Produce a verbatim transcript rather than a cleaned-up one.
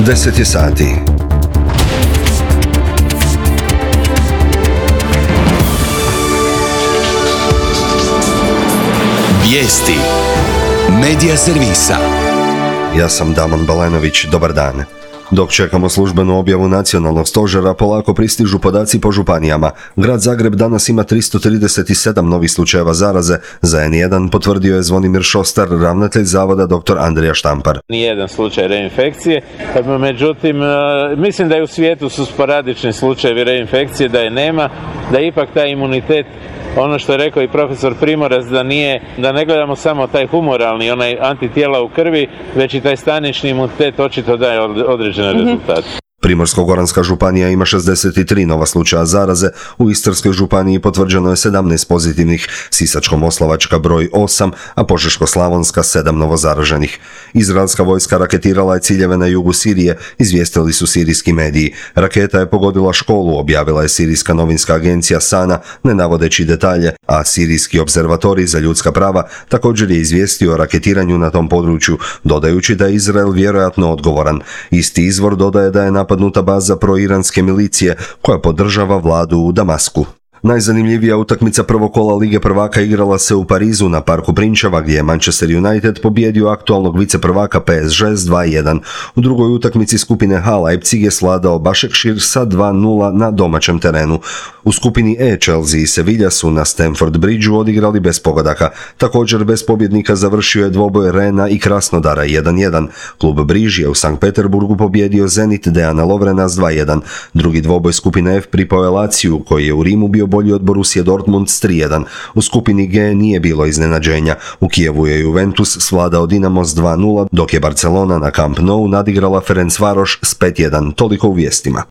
deset je sati. Vijesti Medija servisa. Ja sam Damon Balenović, dobar dan. Dok čekamo službenu objavu nacionalnog stožera, polako pristižu podaci po županijama. Grad Zagreb danas ima tristo trideset sedam novih slučajeva zaraze. Za en jedan potvrdio je Zvonimir Šostar, ravnatelj zavoda doktor Andrija Štampar. Nijedan slučaj reinfekcije, međutim, mislim da je u svijetu su sporadični slučajevi reinfekcije, da je nema, da je ipak taj imunitet, ono što je rekao i profesor Primorac, da nije, da ne gledamo samo taj humoralni, onaj antitijela u krvi, već i taj stanični imunitet očito daje određene rezultate. Primorsko-goranska županija ima šezdeset tri nova slučaja zaraze, u Istarskoj županiji potvrđeno je sedamnaest pozitivnih, Sisačko-moslavačka broj osam, a Požeško-slavonska sedam novozaraženih. Izraelska vojska raketirala je ciljeve na jugu Sirije, izvijestili su sirijski mediji. Raketa je pogodila školu, objavila je sirijska novinska agencija Sana, ne navodeći detalje, a sirijski observatorij za ljudska prava također je izvijestio o raketiranju na tom području, dodajući da je Izrael vjerojatno odgovoran. Isti izvor dodaje da je napadnuta baza proiranske milicije koja podržava vladu u Damasku. Najzanimljivija utakmica prvog kola Lige prvaka igrala se u Parizu na parku Prinčeva, gdje je Manchester United pobijedio aktualnog viceprvaka P S G s dva jedan. U drugoj utakmici skupine H Leipzig je svladao Başakşehir sa dva nula na domaćem terenu. U skupini E Chelsea i Sevilla su na Stamford Bridgeu odigrali bez pogodaka. Također bez pobjednika završio je dvoboj Rena i Krasnodara jedan jedan. Klub Briž je u Sankt Peterburgu pobjedio Zenit Dejana Lovrena s dva jedan. Drugi dvoboj skupine F pripao je Laziju, koji je u Rimu bio bolji od Borussia Dortmund s tri jedan. U skupini G nije bilo iznenađenja. U Kijevu je Juventus svladao Dinamo s dva nula, dok je Barcelona na Camp Nou nadigrala Ferencvaroš s pet jedan. Toliko u vijestima.